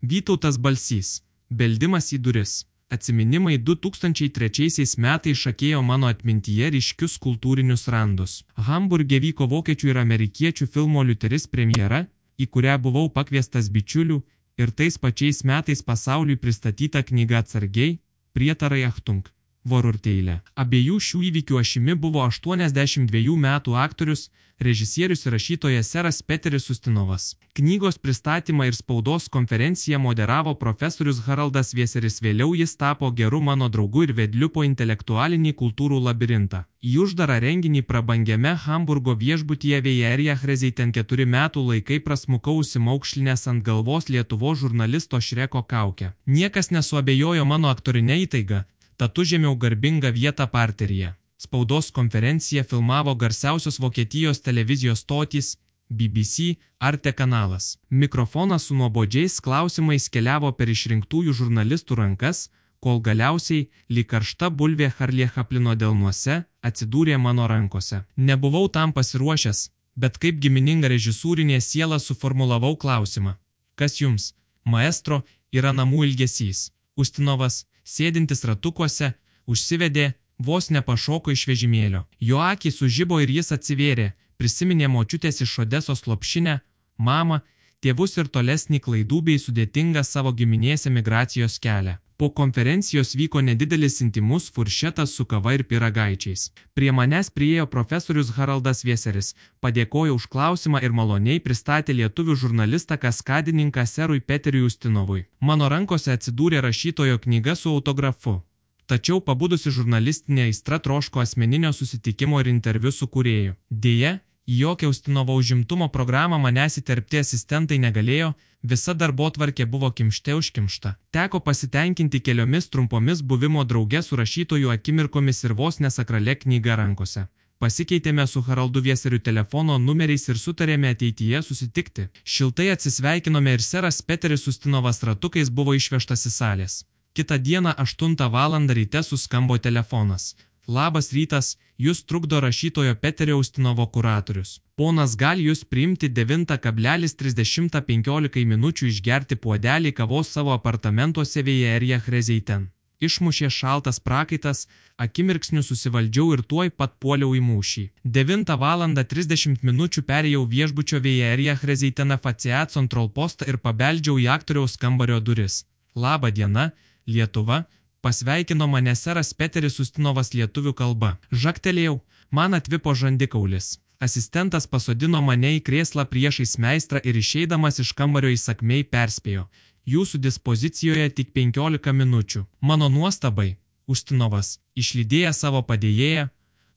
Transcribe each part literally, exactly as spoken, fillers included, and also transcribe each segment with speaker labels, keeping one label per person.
Speaker 1: Vytautas Balsys. Beldimas į duris. Atsiminimai du tūkstančiai trečiaisiais metais šakėjo mano atmintyje ryškius kultūrinius randus. Hamburge vyko vokiečių ir amerikiečių filmo Liuteris premjera, į kurią buvau pakviestas bičiulių, ir tais pačiais metais pasauliui pristatyta knyga Atsargiai, prietarai Achtung, Vorurteilė. Abiejų šių įvykių ašimi buvo aštuoniasdešimt dviejų metų aktorius, režisierius ir rašytojas seras Peteris Ustinovas. Knygos pristatymą ir spaudos konferenciją moderavo profesorius Haraldas Vieseris, vėliau jis tapo geru mano draugu ir vedliu po intelektualinį kultūrų labirintą. Į uždarą renginį prabangiame Hamburgo viešbutyje Vėjerija Hrezeiten keturi metų laikai prasmukau užsimaukšlinęs ant galvos Lietuvos žurnalisto Šreko kaukę. Niekas nesuabejojo mano aktorinę įtaigą, tad užėmiau garbingą vietą parteryje. Spaudos konferenciją filmavo garsiausios Vokietijos televizijos stotys, B B C, Arte kanalas. Mikrofonas su nuobodžiais klausimais keliavo per išrinktųjų žurnalistų rankas, kol galiausiai, lyg karšta bulvė Harlė Chaplino delnuose, atsidūrė mano rankose. Nebuvau tam pasiruošęs, bet kaip gimininga režisūrinė siela suformulavau klausimą. Kas jums, maestro, yra namų ilgesys? Ustinovas, sėdintis ratukuose, užsivedė, vos nepašoko iš vežimėlio. Jo akys sužibo ir jis atsivėrė, prisiminė močiutės iš Odesos lopšinę, mamą, tėvus ir tolesnį klaidų bei sudėtingą savo giminės emigracijos kelią. Po konferencijos vyko nedidelis intimus furšetas su kava ir pyragaičiais. Prie manęs priėjo profesorius Haraldas Vieseris, padėkojo už klausimą ir maloniai pristatė lietuvių žurnalistą kaskadininką serui Peteriui Ustinovui. Mano rankose atsidūrė rašytojo knyga su autografu. Tačiau pabudusi žurnalistinė aistra troško asmeninio susitikimo ir interviu su kūrėju. Deja, į jokią Ustinovo užimtumo programą manęs įterpti asistentai negalėjo, visa darbotvarkė buvo kimšte užkimšta. Teko pasitenkinti keliomis trumpomis buvimo drauge su rašytojų akimirkomis ir vos nesakrale knyga rankose. Pasikeitėme su Haraldu Vieseriu telefono numeriais ir sutarėme ateityje susitikti. Šiltai atsisveikinome ir seras Peteris Ustinovas ratukais buvo išvežtas į salės. Kitą dieną aštuntą valandą ryte suskambo telefonas. Labas rytas, jūs trukdo rašytojo Peterio Ustinovo kuratorius. Ponas gali jūs priimti devintą trisdešimt penkiolika minučių išgerti puodelį kavos savo apartamentuose Vėjerija Hrezeiten. Išmušė šaltas prakaitas, akimirksniu susivaldžiau ir tuoj pat puoliau į mūšį. devintą valandą trisdešimt minučių perėjau viešbučio Vėjerija Hrezeiten Faciat Control postą ir pabeldžiau į aktoriaus kambario duris. Labą dieną, Lietuva, pasveikino mane seras Peteris Ustinovas lietuvių kalba. Žaktelėjau, man atvipo žandikaulis. Asistentas pasodino mane į krėslą priešais meistrą ir išeidamas iš kambario įsakmiai perspėjo. Jūsų dispozicijoje tik penkiolika minučių. Mano nuostabai, Ustinovas, išlydėjęs savo padėjėją,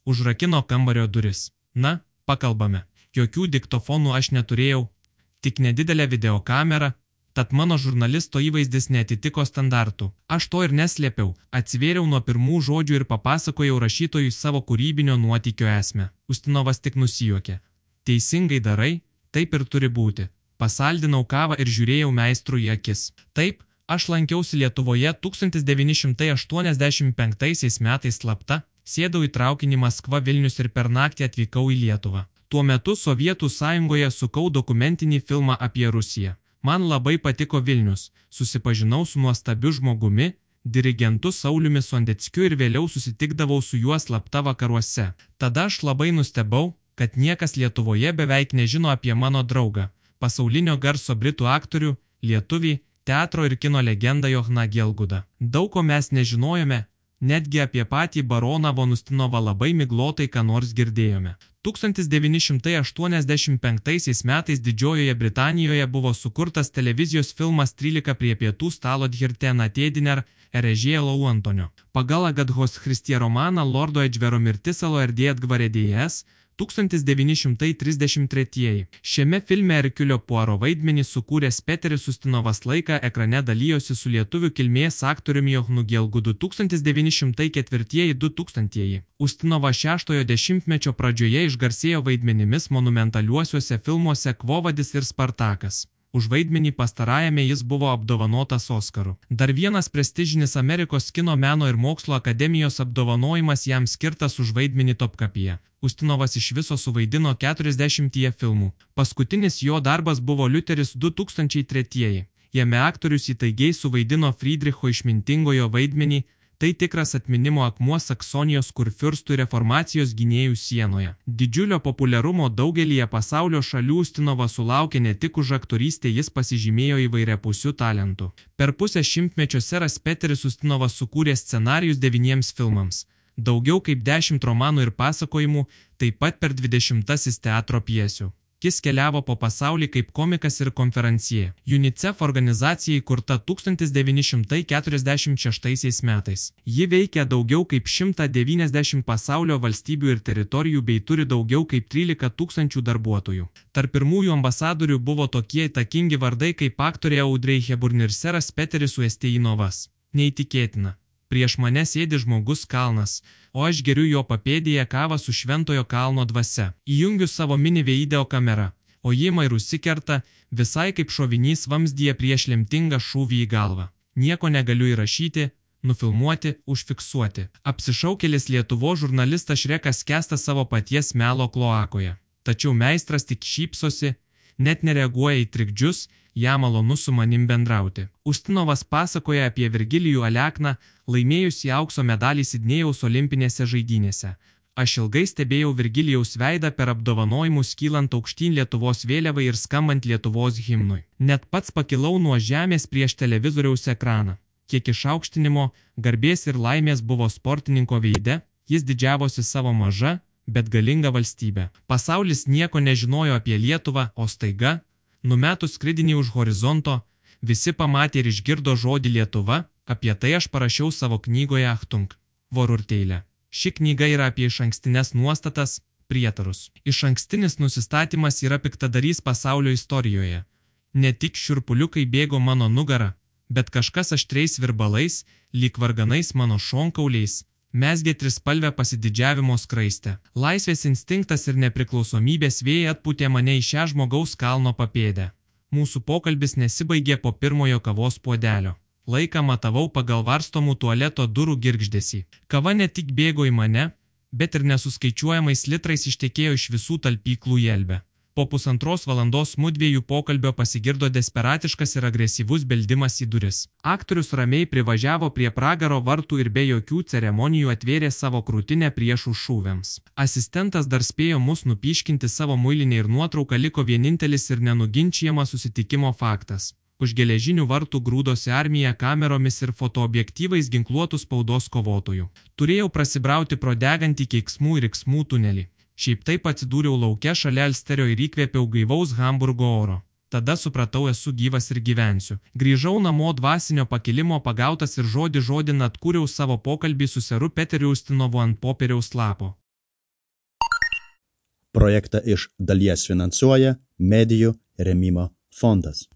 Speaker 1: užrakino kambario duris. Na, pakalbame. Jokių diktofonų aš neturėjau, tik nedidelę videokamerą, tad mano žurnalisto įvaizdis neatitiko standartų. Aš to ir neslėpiau, atsivėriau nuo pirmų žodžių ir papasakojau rašytojui savo kūrybinio nuotykio esmę. Ustinovas tik nusijuokė. Teisingai darai, taip ir turi būti. Pasaldinau kavą ir žiūrėjau meistrui į akis. Taip, aš lankiausi Lietuvoje tūkstantis devyni šimtai aštuoniasdešimt penktaisiais metais slapta, sėdau į traukinį Maskva Vilnius ir per naktį atvykau į Lietuvą. Tuo metu Sovietų sąjungoje sukau dokumentinį filmą apie Rusiją. Man labai patiko Vilnius, susipažinau su nuostabiu žmogumi, dirigentu Sauliumi Sondeckiu ir vėliau susitikdavau su juo slapta vakaruose. Tada aš labai nustebau, kad niekas Lietuvoje beveik nežino apie mano draugą, pasaulinio garso britų aktorių, lietuvį, teatro ir kino legendą Johaną Gielgudą. Daug ko mes nežinojome, netgi apie patį baroną von Ustinovą labai miglotai ką nors girdėjome. tūkstantis devyni šimtai aštuoniasdešimt penktaisiais metais Didžiojoje Britanijoje buvo sukurtas televizijos filmas trylika prie pietų stalo Dhirtena Tėdiner, Erežėlo Antonio. Pagal Agathos Christie romaną Lordo Edžvero mirtis Aloerdėt Gvaredėjas, tūkstantis devyni šimtai trisdešimt tretieji. Šiame filme Erkiulio Puaro vaidmenį sukūręs Peteris Ustinovas laiką ekrane dalijosi su lietuvių kilmės aktoriumi Johanu Gielgudu tūkstantis devyni šimtai ketvirtieji du tūkstantieji. Ustinovas šeštojo dešimtmečio pradžioje išgarsėjo vaidmenimis monumentaliuosiuose filmuose Kvovadis ir Spartakas. Už vaidmenį pastarajame jis buvo apdovanotas Oskaru. Dar vienas prestižinis Amerikos kino meno ir mokslo akademijos apdovanojimas jam skirtas už vaidmenį Topkapyje. Ustinovas iš viso suvaidino keturiasdešimtyje filmų. Paskutinis jo darbas buvo Liuteris du tūkstančiai tretieji. Jame aktorius įtaigiai suvaidino Friedricho išmintingojo vaidmenį, tai tikras atminimo akmuo Saksonijos kurfiurstų reformacijos gynėjų sienoje. Didžiulio populiarumo daugelyje pasaulio šalių Ustinovas sulaukė ne tik už aktorystę, jis pasižymėjo įvairiapusių talentų. Per pusę šimtmečio seras Peteris Ustinovas sukūrė scenarijus devyniems filmams, daugiau kaip dešimt romanų ir pasakojimų, taip pat per dvidešimtasis teatro pjesių. Jis keliavo po pasaulį kaip komikas ir konferencijė. UNICEF organizacija įkurta tūkstantis devyni šimtai keturiasdešimt šeštaisiais metais. Ji veikia daugiau kaip šimtą devyniasdešimt pasaulio valstybių ir teritorijų bei turi daugiau kaip trylika tūkstančių darbuotojų. Tarp pirmųjų ambasadorių buvo tokie įtakingi vardai kaip aktorė Audrey Hepburn ir seras Peteris Usteinovas. Neįtikėtina. Prieš mane sėdi žmogus kalnas, o aš geriu jo papėdėje kavą su Šventojo kalno dvasia. Įjungiu savo mini video kamerą, o ji man ir užsikerta, visai kaip šovinys vamzdyje prieš lemtingą šūvį į galvą. Nieko negaliu įrašyti, nufilmuoti, užfiksuoti. Apsišaukėlis Lietuvos žurnalistas Šrekas skęsta savo paties melo kloakoje. Tačiau meistras tik šypsosi, net nereaguoja į trikdžius, jam malonu su manim bendrauti. Ustinovas pasakoja apie Virgilijų Alekną, laimėjusi aukso medalį Sidnėjaus olimpinėse žaidynėse. Aš ilgai stebėjau Virgilijaus veidą per apdovanojimus kylant aukštyn Lietuvos vėliavai ir skambant Lietuvos himnui. Net pats pakilau nuo žemės prieš televizoriaus ekraną. Kiek išaukštinimo, garbės ir laimės buvo sportininko veide, jis didžiavosi savo maža, bet galinga valstybė. Pasaulis nieko nežinojo apie Lietuvą, o staiga, numetus skridinį už horizonto, visi pamatė ir išgirdo žodį Lietuva, apie tai aš parašiau savo knygoje Achtung, Vorurteilė. Ši knyga yra apie išankstines nuostatas, prietarus. Išankstinis nusistatymas yra piktadarys pasaulio istorijoje. Ne tik šiurpuliukai bėgo mano nugarą, bet kažkas aštriais virbalais, lyg varganais mano šonkauliais, mezgė trispalvę pasididžiavimo skraistę. Laisvės instinktas ir nepriklausomybės vėjai atpūtė mane į šią žmogaus kalno papėdę. Mūsų pokalbis nesibaigė po pirmojo kavos puodelio. Laiką matavau pagal varstomų tualeto durų girgždesį. Kava ne tik bėgo į mane, bet ir nesuskaičiuojamais litrais ištekėjo iš visų talpyklų į Elbę. Po pusantros valandos mudviejų pokalbio pasigirdo desperatiškas ir agresyvus beldimas į duris. Aktorius ramiai privažiavo prie pragaro vartų ir be jokių ceremonijų atvėrė savo krūtinę priešų šūviams. Asistentas dar spėjo mus nupiškinti savo muilinę ir nuotrauką, liko vienintelis ir nenuginčiamas susitikimo faktas. Už geležinių vartų grūdosi armija kameromis ir fotoobjektyvais ginkluotų spaudos kovotojų. Turėjau prasibrauti pro degantį keiksmų ir riksmų tunelį. Šiaip taip atsidūriau lauke šalia Elsterio ir įkvėpiau gaivaus Hamburgo oro. Tada supratau, esu gyvas ir gyvensiu. Grįžau namo dvasinio pakilimo pagautas ir žodį žodin atkūriau savo pokalbį su seru Peteriu Ustinovu ant popieriaus lapo.
Speaker 2: Projektą iš dalies finansuoja Medijų rėmimo fondas.